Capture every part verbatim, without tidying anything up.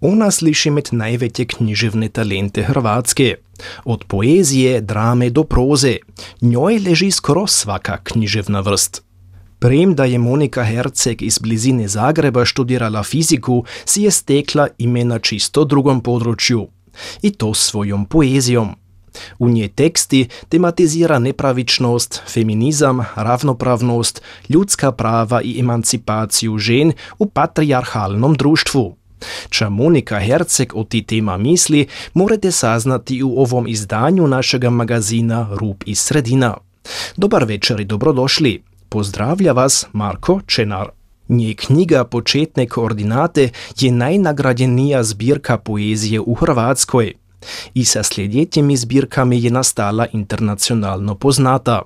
Ona sliši med največje književne talente Hrvatske. Od poezije, drame do proze. Njoj leži skoro svaka književna vrst. Premda je Monika Herceg iz blizine Zagreba študirala fiziku, si je stekla ime na čisto drugom području. I to svojom poezijom. U nje teksti tematizira nepravičnost, feminizam, ravnopravnost, ljudska prava i emancipaciju žen u patrijarhalnom društvu. Ča Monika Herceg o ti tema misli, morate saznati u ovom izdanju našega magazina Rub i sredina. Dobar večer i dobrodošli. Pozdravlja vas Marko Čenar. Nje knjiga Početne koordinate je najnagrađenija zbirka poezije u Hrvatskoj. I sa sljedećimi zbirkami je nastala internacionalno poznata.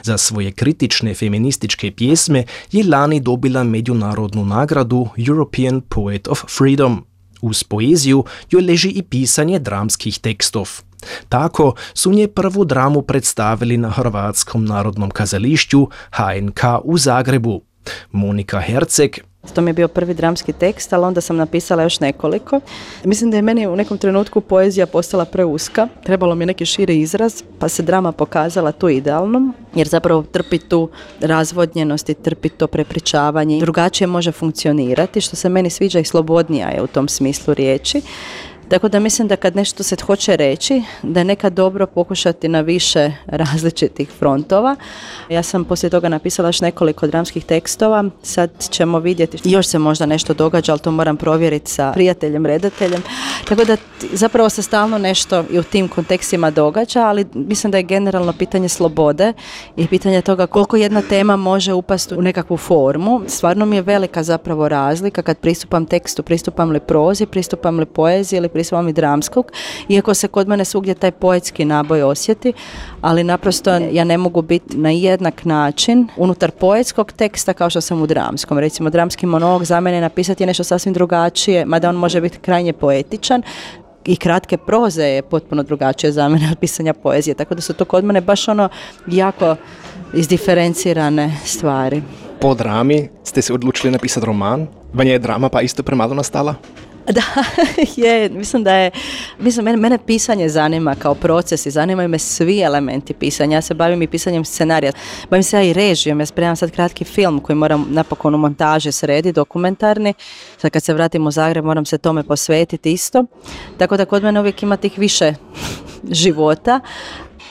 Za svoje kritične feminističke pjesme je lani dobila međunarodnu nagradu European Poet of Freedom. Uz poeziju joj leži i pisanje dramskih tekstov. Tako su nje prvu dramu predstavili na Hrvatskom narodnom kazališću H N K u Zagrebu. Monika Herceg. To mi je bio prvi dramski tekst, ali onda sam napisala još nekoliko. Mislim da je meni u nekom trenutku poezija postala preuska. Trebalo mi je neki širi izraz, pa se drama pokazala tu idealnom, jer zapravo trpi tu razvodnjenost i trpi to prepričavanje. Drugačije može funkcionirati, što se meni sviđa i slobodnija je u tom smislu riječi. Tako da mislim da kad nešto se hoće reći, da je nekad dobro pokušati na više različitih frontova. Ja sam poslije toga napisala još nekoliko dramskih tekstova, sad ćemo vidjeti, još se možda nešto događa, ali to moram provjeriti sa prijateljem, redateljem. Tako da zapravo se stalno nešto i u tim kontekstima događa, ali mislim da je generalno pitanje slobode i pitanje toga koliko jedna tema može upasti u nekakvu formu. Stvarno mi je velika zapravo razlika kad pristupam tekstu, pristupam li prozi, pristupam li poeziji ili pristupam i dramskog, iako se kod mene svugdje taj poetski naboj osjeti, ali naprosto ja ne mogu biti na jednak način unutar poetskog teksta kao što sam u dramskom. Recimo, dramski monolog za mene napisati je nešto sasvim drugačije, mada on može biti krajnje poetičan, i kratke proze je potpuno drugačije za mene od pisanja poezije, tako da su to kod mene baš ono jako izdiferencirane stvari. Po drami ste se odlučili napisati roman, vanja je drama pa isto premalo nastala? Da, je, mislim da je, mislim, mene, mene pisanje zanima kao proces i zanimaju me svi elementi pisanja. Ja se bavim i pisanjem scenarija, bavim se ja i režijom, ja spremam sad kratki film koji moram napokon u montaži srediti, dokumentarni. Sad kad se vratim u Zagreb moram se tome posvetiti isto, tako da kod mene uvijek ima tih više života.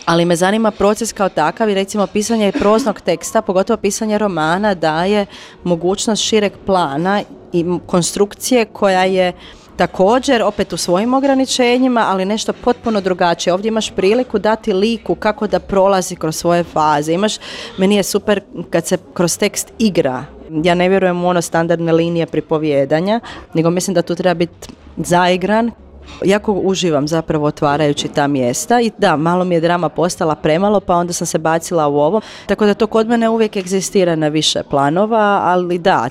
Ali me zanima proces kao takav i recimo pisanje proznog teksta, pogotovo pisanje romana, daje mogućnost šireg plana i konstrukcije koja je također opet u svojim ograničenjima, ali nešto potpuno drugačije. Ovdje imaš priliku dati liku kako da prolazi kroz svoje faze. Imaš, meni je super kad se kroz tekst igra. Ja ne vjerujem u ono standardne linije pripovijedanja, nego mislim da tu treba biti zaigran. Jako uživam zapravo otvarajući ta mjesta i da, malo mi je drama postala premalo, pa onda sam se bacila u ovo. Tako da to kod mene uvijek egzistira na više planova, ali da,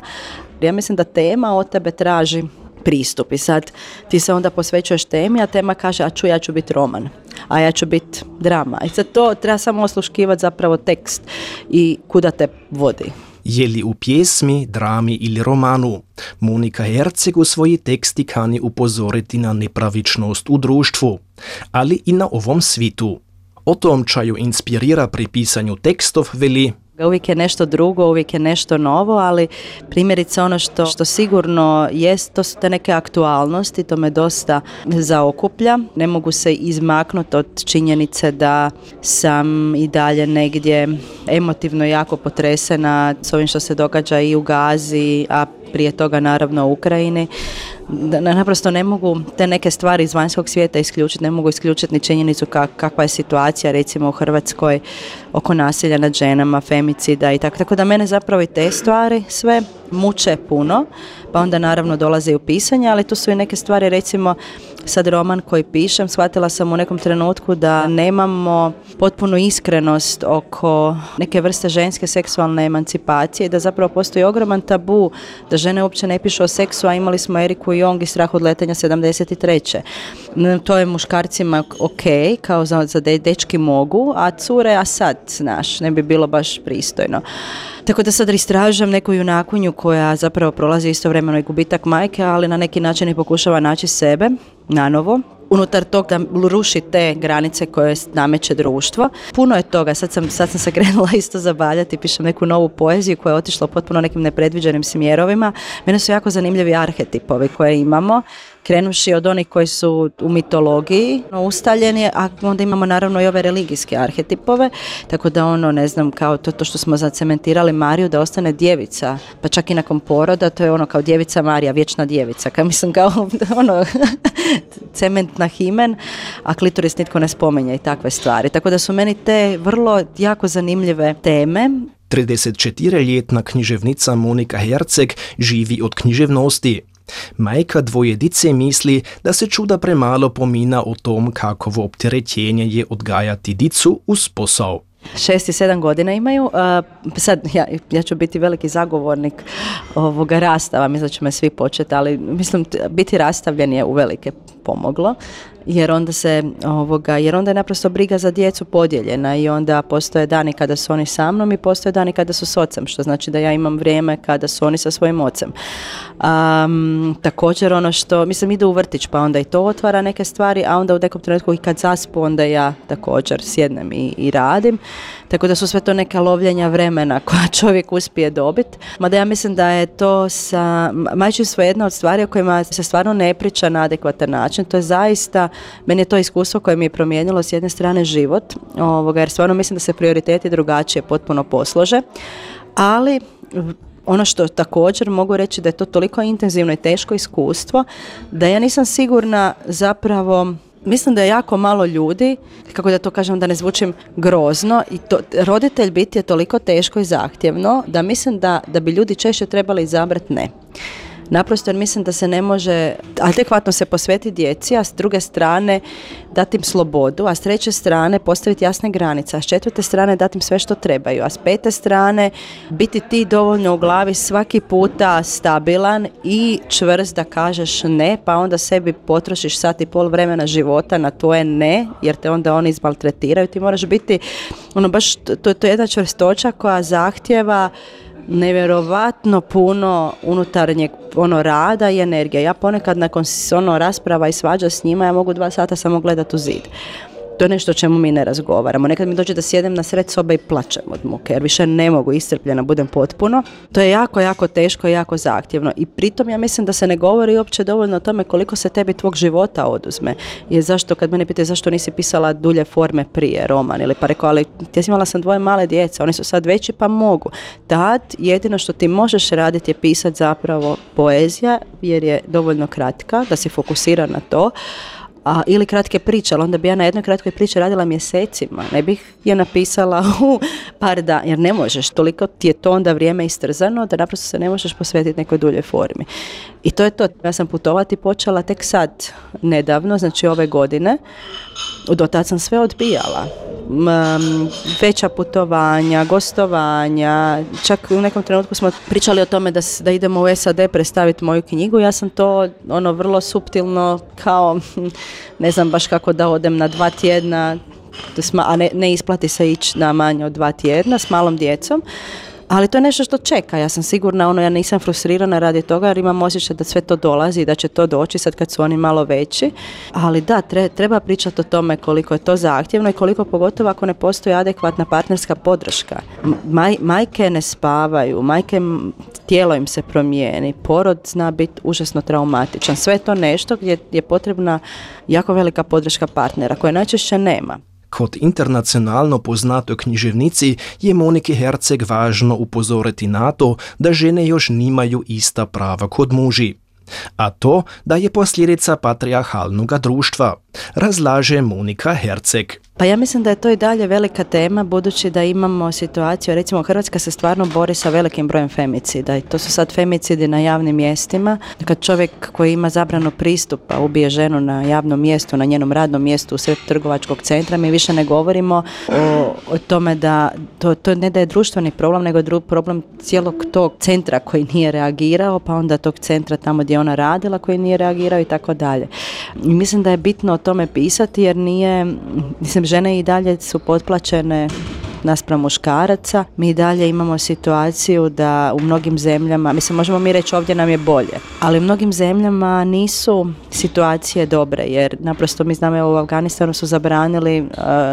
ja mislim da tema od tebe traži pristup i sad ti se onda posvećuješ temi, a tema kaže, a ču, ja ću biti roman, a ja ću biti drama. I sad to treba samo osluškivati zapravo tekst i kuda te vodi. Je li u pjesmi, drami ili romanu, Monika Herceg u svoji teksti kani upozoriti na nepravičnost u društvu, ali i na ovom svitu. O tom čaju inspirira pri pisanju tekstov veli: uvijek je nešto drugo, uvijek je nešto novo, ali primjerice ono što, što sigurno jest, to su te neke aktualnosti, to me dosta zaokuplja. Ne mogu se izmaknuti od činjenice da sam i dalje negdje emotivno jako potresena s ovim što se događa i u Gazi, a prije toga naravno u Ukrajini. Da, naprosto ne mogu te neke stvari iz vanjskog svijeta isključiti, ne mogu isključiti ni činjenicu kak, kakva je situacija recimo u Hrvatskoj oko nasilja nad ženama, femicida i tako. Tako da mene zapravo i te stvari sve muče puno, pa onda naravno dolaze i u pisanje, ali tu su i neke stvari, recimo sad roman koji pišem, shvatila sam u nekom trenutku da nemamo potpunu iskrenost oko neke vrste ženske seksualne emancipacije i da zapravo postoji ogroman tabu da žene uopće ne pišu o seksu, a imali smo Eriku Jong i Strah od letenja sedamdeset treće. To je muškarcima ok, kao za, za de, dečki mogu, a cure, a sad, znaš, ne bi bilo baš pristojno. Tako da sad istražujem neku junakunju koja zapravo prolazi istovremeno i gubitak majke, ali na neki način i pokušava naći sebe nanovo. Unutar tog da ruši te granice koje nameće društvo. Puno je toga, sad sam, sad sam se krenula isto zabavljati, pišem neku novu poeziju koja je otišla potpuno nekim nepredviđenim smjerovima. Mene su jako zanimljivi arhetipovi koje imamo, krenuši od onih koji su u mitologiji ustaljeni, a onda imamo naravno i ove religijske arhetipove, tako da ono, ne znam, kao to, to što smo zacementirali Mariju da ostane djevica, pa čak i nakon poroda, to je ono kao djevica Marija, vječna djevica, kao mislim kao ono cement na himen, a klitoris nitko ne spominje i takve stvari. Tako da su meni te vrlo jako zanimljive teme. tridesetčetiriletna književnica Monika Herceg živi od književnosti. Majka dvojedice misli, da se čuda premalo pomina o tom, kakovo opterećenje je odgajati dicu uz posao. Šest i sedam godina imaju. Uh, sad, ja, ja ću biti veliki zagovornik ovoga rastava, mislim da će me svi početi, ali mislim, biti rastavljen je uvelike pomoglo, jer onda se ovoga, jer onda je naprosto briga za djecu podijeljena i onda postoje dani kada su oni sa mnom i postoje dani kada su s ocem, što znači da ja imam vrijeme kada su oni sa svojim ocem. Um, također ono što, mislim, ide u vrtić pa onda i to otvara neke stvari, a onda u nekom trenutku i kad zaspu onda ja također sjednem i, i radim. Tako da su sve to neka lovljenja vremena koja čovjek uspije dobiti. Mada ja mislim da je to sa majčinstvo jedna od stvari o kojima se stvarno ne priča na adekvatan način. To je zaista, meni je to iskustvo koje mi je promijenilo s jedne strane život, ovoga, jer stvarno mislim da se prioriteti drugačije potpuno poslože. Ali ono što također mogu reći da je to toliko intenzivno i teško iskustvo da ja nisam sigurna zapravo. Mislim da je jako malo ljudi, kako da to kažem da ne zvučim grozno, i to, roditelj biti je toliko teško i zahtjevno da mislim da, da bi ljudi češće trebali izabrati ne. Naprosto jer mislim da se ne može adekvatno se posvetiti djeci, a s druge strane dati im slobodu, a s treće strane postaviti jasne granice, a s četvrte strane dati im sve što trebaju, a s pete strane biti ti dovoljno u glavi svaki puta stabilan i čvrst da kažeš ne, pa onda sebi potrošiš sat i pol vremena života na tvoje ne, jer te onda oni izmaltretiraju. Ti moraš biti, ono baš, to, to je jedna čvrstoća koja zahtjeva nevjerovatno puno unutarnjeg ono rada i energije. Ja ponekad nakon ono rasprava i svađa s njima ja mogu dva sata samo gledati u zid. To je nešto o čemu mi ne razgovaramo. Nekad mi dođe da sjedem na sred sobe i plačem od muke, jer više ne mogu, iscrpljena budem potpuno. To je jako, jako teško i jako zahtjevno. I pritom ja mislim da se ne govori uopće dovoljno o tome koliko se tebi tvog života oduzme. Jer zašto, kad mene pitaju zašto nisi pisala dulje forme prije, roman, ili pa rekao, ali ja imala sam dvoje male djece, oni su sad veći pa mogu. Tad jedino što ti možeš raditi je pisati zapravo poezija, jer je dovoljno kratka, da si fokusira na to. A, ili kratke priče, ali onda bi ja na jednoj kratkoj priči radila mjesecima, ne bih je napisala u par dana, jer ne možeš, toliko ti je to onda vrijeme istrzano da naprosto se ne možeš posvetiti nekoj duljoj formi. I to je to, ja sam putovati počela tek sad, nedavno, znači ove godine, do tad sam sve odbijala. Um, veća putovanja, gostovanja, čak u nekom trenutku smo pričali o tome da, da idemo u S A D predstaviti moju knjigu, ja sam to ono vrlo suptilno kao, ne znam baš kako da odem na dva tjedna, a ne, ne isplati se ići na manje od dva tjedna s malom djecom. Ali to je nešto što čeka, ja sam sigurna, ono, ja nisam frustrirana radi toga jer imam osjećaj da sve to dolazi i da će to doći sad kad su oni malo veći. Ali da, tre, treba pričati o tome koliko je to zahtjevno i koliko pogotovo ako ne postoji adekvatna partnerska podrška. Maj, majke ne spavaju, majke, tijelo im se promijeni, porod zna biti užasno traumatičan. Sve je to nešto gdje je potrebna jako velika podrška partnera koje najčešće nema. Kot internacionalno poznatoj književnici je Moniki Herceg važno upozoriti na to, da žene još nimaju ista prava kod muži. A to da je posljedica patrijarhalnoga društva, razlaže Monika Herceg. Pa ja mislim da je to i dalje velika tema, budući da imamo situaciju, recimo Hrvatska se stvarno bori sa velikim brojem femicida i to su sad femicidi na javnim mjestima. Kad čovjek koji ima zabranu pristupa ubije ženu na javnom mjestu, na njenom radnom mjestu u sred trgovačkog centra, mi više ne govorimo o, o tome da to, to ne da je društveni problem, nego je dru, problem cijelog tog centra koji nije reagirao, pa onda tog centra tamo gdje ona radila koji nije reagirao i tako dalje. I mislim da je bitno o tome pisati jer nije, mislim, žene i dalje su potplaćene naspram muškaraca. Mi i dalje imamo situaciju da u mnogim zemljama, mislim možemo mi reći ovdje nam je bolje, ali u mnogim zemljama nisu situacije dobre, jer naprosto mi znamo u Afganistanu su zabranili uh,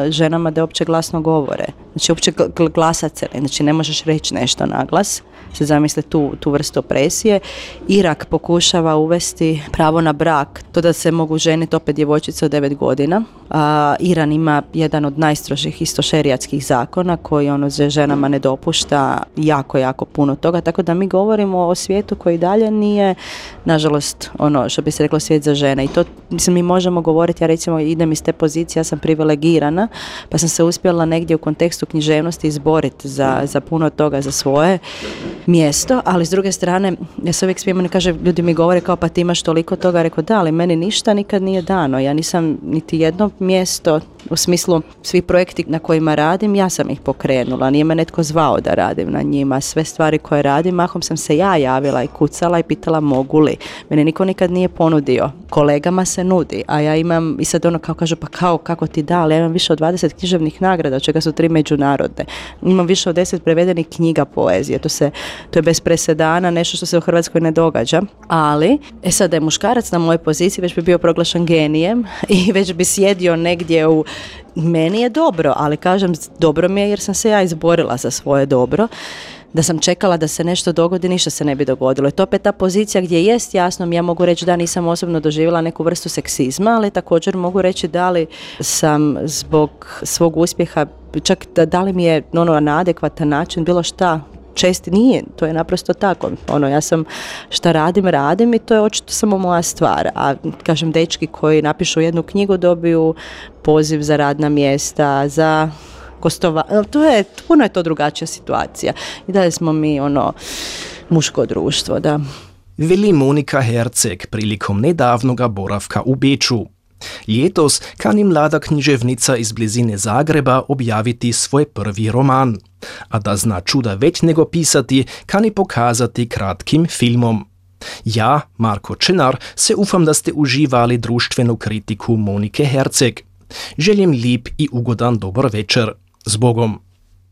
ženama da uopće glasno govore. Znači uopće gl- glasat se, znači ne možeš reći nešto na glas. Se zamisle tu, tu vrstu opresije. Irak pokušava uvesti pravo na brak, to da se mogu ženiti opet djevojčice od devet godina. A, Iran ima jedan od najstrožih isto šerijatskih zakona koji ono ženama ne dopušta jako, jako puno toga, tako da mi govorimo o svijetu koji dalje nije, nažalost, ono što bi se reklo svijet za žene. I to, mislim, mi možemo govoriti, ja recimo idem iz te pozicije, ja sam privilegirana, pa sam se uspjela negdje u kontekstu književnosti izboriti za, za puno toga, za svoje mjesto, ali s druge strane, ja se uvijek smijem, kaže, ljudi mi govore kao pa ti imaš toliko toga, rekao da, ali meni ništa nikad nije dano, ja nisam niti jedno mjesto, u smislu svi projekti na kojima radim, ja sam ih pokrenula, nije me netko zvao da radim na njima, sve stvari koje radim, mahom sam se ja javila i kucala i pitala mogu li, mene niko nikad nije ponudio, kolegama se nudi, a ja imam, i sad ono kao kažu, pa kao, kako ti da, ali ja imam više od dvadeset književnih nagrada, od čega su tri međunarodne, imam više od deset prevedenih knjiga poezije, to se to je bez presedana, nešto što se u Hrvatskoj ne događa, ali e sad da je muškarac na mojoj poziciji već bi bio proglašen genijem i već bi sjedio negdje u, meni je dobro, ali kažem dobro mi je jer sam se ja izborila za svoje dobro. Da sam čekala da se nešto dogodi, ništa se ne bi dogodilo. I to opet ta pozicija gdje jest jasno, ja mogu reći da nisam osobno doživjela neku vrstu seksizma, ali također mogu reći da li sam zbog svog uspjeha, čak da, da li mi je ono, na adekvatan način bilo šta česti, nije, to je naprosto tako. Ono, ja sam šta radim, radim i to je očito samo moja stvar. A kažem, dečki koji napišu jednu knjigu dobiju poziv za radna mjesta, za gostova, to je, puno je to drugačija situacija. I dalje smo mi ono muško društvo, da. Veli Monika Herceg prilikom nedavnoga boravka u Beču. Ljetos kani mlada književnica iz blizine Zagreba objaviti svoj prvi roman, a da zna čuda već nego pisati, kani pokazati kratkim filmom. Ja, Marko Čenar, se ufam da ste uživali društvenu kritiku Monike Herceg. Želim lip i ugodan dobar večer. S Bogom!